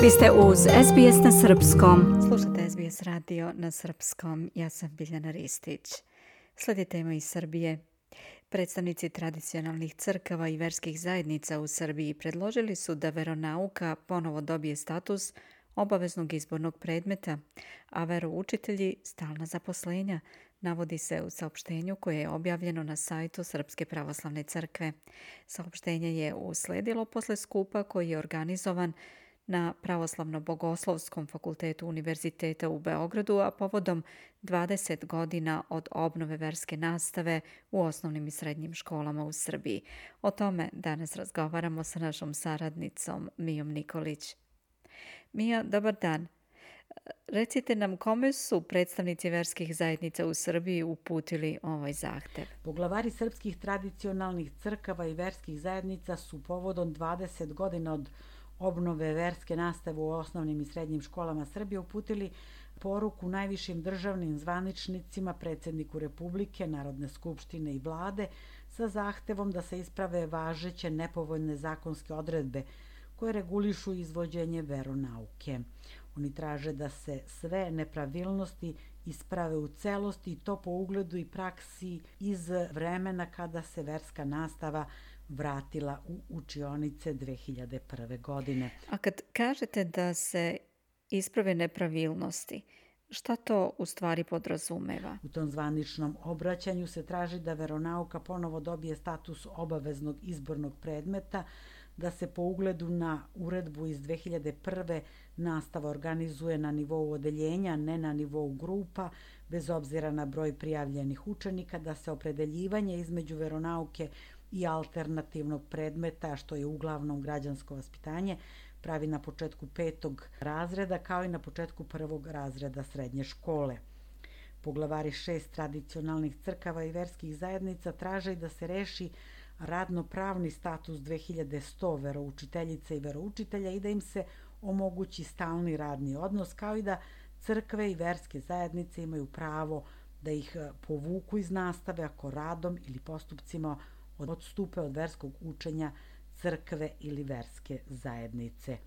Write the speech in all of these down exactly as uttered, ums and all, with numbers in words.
Vi ste uz S B S na srpskom. Slušate S B S radio na srpskom. Ja sam Biljana Ristić. Slijedi tema iz Srbije. Predstavnici tradicionalnih crkava i verskih zajednica u Srbiji predložili su da veronauka ponovo dobije status obaveznog izbornog predmeta, a veroučitelji stalna zaposlenja, navodi se u saopštenju koje je objavljeno na sajtu Srpske pravoslavne crkve. Saopštenje je usledilo posle skupa koji je organizovan na Pravoslavno-bogoslovskom fakultetu Univerziteta u Beogradu, a povodom dvadeset godina od obnove verske nastave u osnovnim i srednjim školama u Srbiji. O tome danas razgovaramo sa našom saradnicom Mijom Nikolić. Mija, dobar dan. Recite nam kome su predstavnici verskih zajednica u Srbiji uputili ovaj zahtev? Poglavari srpskih tradicionalnih crkava i verskih zajednica su povodom dvadeset godina od obnove verske nastave u osnovnim i srednjim školama Srbije uputili poruku najvišim državnim zvaničnicima, predsjedniku Republike, Narodne skupštine i vlade sa zahtevom da se isprave važeće nepovoljne zakonske odredbe koje regulišu izvođenje veronauke. Oni traže da se sve nepravilnosti isprave u celosti i to po ugledu i praksi iz vremena kada se verska nastava vratila u učionice dve hiljade prve. godine. A kad kažete da se isprave nepravilnosti, šta to u stvari podrazumeva? U tom zvaničnom obraćanju se traži da veronauka ponovo dobije status obaveznog izbornog predmeta, da se po ugledu na uredbu iz dve hiljade prve. nastava organizuje na nivou odeljenja, ne na nivou grupa, bez obzira na broj prijavljenih učenika, da se opredeljivanje između veronauke i alternativnog predmeta, što je uglavnom građansko vaspitanje, pravi na početku petog razreda kao i na početku prvog razreda srednje škole. Poglavari šest tradicionalnih crkava i verskih zajednica traže da se reši radno-pravni status dve hiljade sto veroučiteljica i veroučitelja i da im se omogući stalni radni odnos, kao i da crkve i verske zajednice imaju pravo da ih povuku iz nastave ako radom ili postupcima odstupe od verskog učenja crkve ili verske zajednice.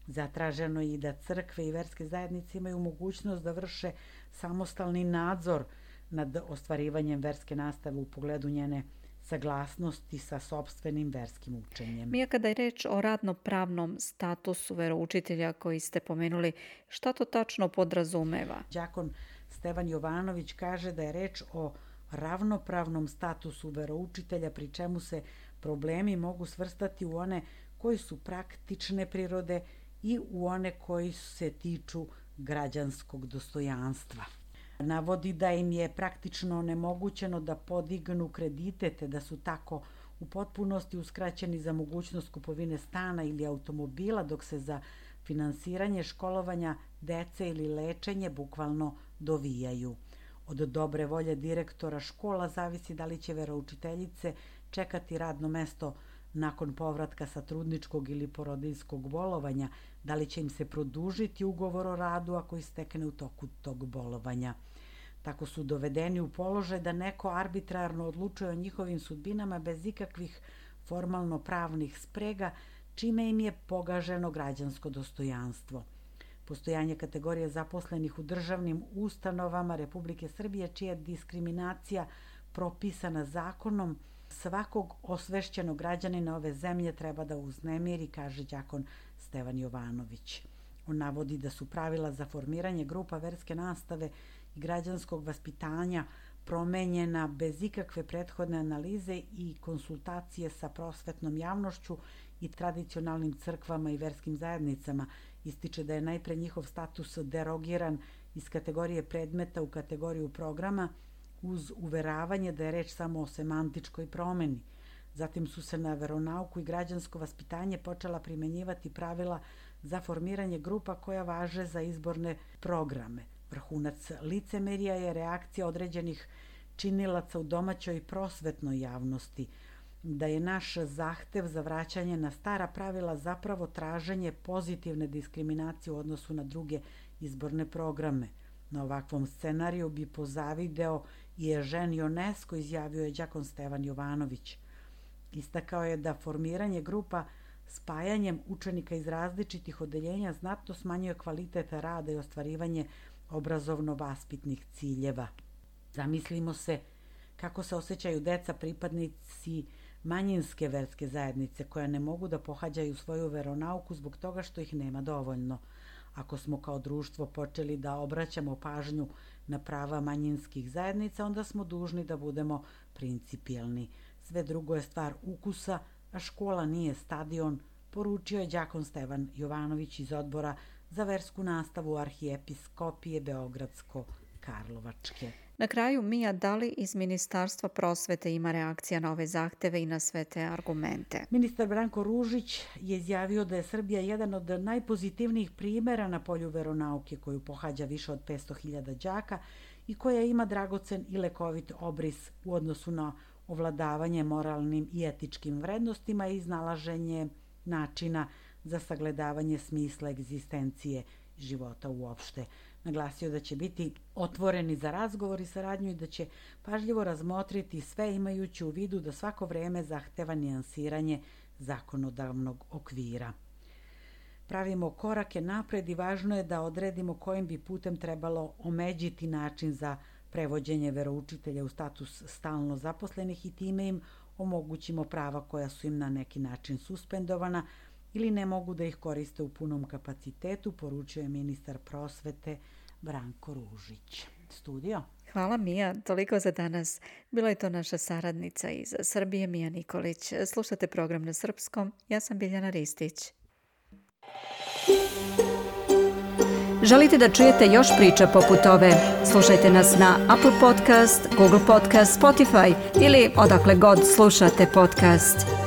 Zatraženo je i da crkve i verske zajednice imaju mogućnost da vrše samostalni nadzor nad ostvarivanjem verske nastave u pogledu njene saglasnosti sa sopstvenim verskim učenjem. Mija, kada je reč o radno-pravnom statusu veroučitelja koji ste pomenuli, šta to tačno podrazumeva? Đakon Stevan Jovanović kaže da je reč o ravnopravnom statusu veroučitelja, pri čemu se problemi mogu svrstati u one koji su praktične prirode i u one koji se tiču građanskog dostojanstva. Navodi da im je praktično onemogućeno da podignu kredite, te da su tako u potpunosti uskraćeni za mogućnost kupovine stana ili automobila, dok se za finansiranje školovanja dece ili lečenje bukvalno dovijaju. Od dobre volje direktora škola zavisi da li će veroučiteljice čekati radno mesto nakon povratka sa trudničkog ili porodiljskog bolovanja, da li će im se produžiti ugovor o radu ako istekne u toku tog bolovanja. Tako su dovedeni u položaj da neko arbitrarno odlučuje o njihovim sudbinama bez ikakvih formalno pravnih sprega, čime im je pogaženo građansko dostojanstvo. Postojanje kategorije zaposlenih u državnim ustanovama Republike Srbije, čija je diskriminacija propisana zakonom, svakog osvešćenog građanina ove zemlje treba da uznemiri, kaže đakon Stevan Jovanović. On navodi da su pravila za formiranje grupa verske nastave i građanskog vaspitanja promenjena bez ikakve prethodne analize i konsultacije sa prosvetnom javnošću i tradicionalnim crkvama i verskim zajednicama. Ističe da je najpre njihov status derogiran iz kategorije predmeta u kategoriju programa, uz uveravanje da je reč samo o semantičkoj promeni. Zatim su se na veronauku i građansko vaspitanje počela primenjivati pravila za formiranje grupa koja važe za izborne programe. Vrhunac licemerija je reakcija određenih činilaca u domaćoj i prosvetnoj javnosti, da je naš zahtev za vraćanje na stara pravila zapravo traženje pozitivne diskriminacije u odnosu na druge izborne programe. Na ovakvom scenariju bi pozavideo i Ežen Ionesco, izjavio je đakon Stevan Jovanović. Istakao je da formiranje grupa spajanjem učenika iz različitih odeljenja znatno smanjuje kvalitet rada i ostvarivanje obrazovno-vaspitnih ciljeva. Zamislimo se kako se osjećaju deca pripadnici manjinske verske zajednice koja ne mogu da pohađaju svoju veronauku zbog toga što ih nema dovoljno. Ako smo kao društvo počeli da obraćamo pažnju na prava manjinskih zajednica, onda smo dužni da budemo principijelni. Sve drugo je stvar ukusa, a škola nije stadion, poručio je đakon Stevan Jovanović iz Odbora za versku nastavu Arhijepiskopije Beogradsko-Karlovačke. Na kraju, Mija, da li iz Ministarstva prosvete ima reakcija na ove zahteve i na sve te argumente? Ministar Branko Ružić je izjavio da je Srbija jedan od najpozitivnijih primjera na polju veronauke koju pohađa više od petsto hiljada đaka i koja ima dragocen i lekovit obris u odnosu na ovladavanje moralnim i etičkim vrednostima i iznalaženje načina za sagledavanje smisla egzistencije života uopšte. Naglasio da će biti otvoreni za razgovor i saradnju i da će pažljivo razmotriti sve imajući u vidu da svako vreme zahteva nijansiranje zakonodavnog okvira. Pravimo korake napred i važno je da odredimo kojim bi putem trebalo omeđiti način za prevođenje veroučitelja u status stalno zaposlenih i time im omogućimo prava koja su im na neki način suspendovana ili ne mogu da ih koriste u punom kapacitetu, poručio je ministar prosvete Branko Ružić. Studio. Hvala, Mija. Toliko za danas. Bila je to naša saradnica iz Srbije, Mija Nikolić. Slušate program na srpskom. Ja sam Biljana Ristić. Želite da čujete još priča poput ove? Slušajte nas na Apple Podcast, Google Podcast, Spotify ili odakle god slušate podcast.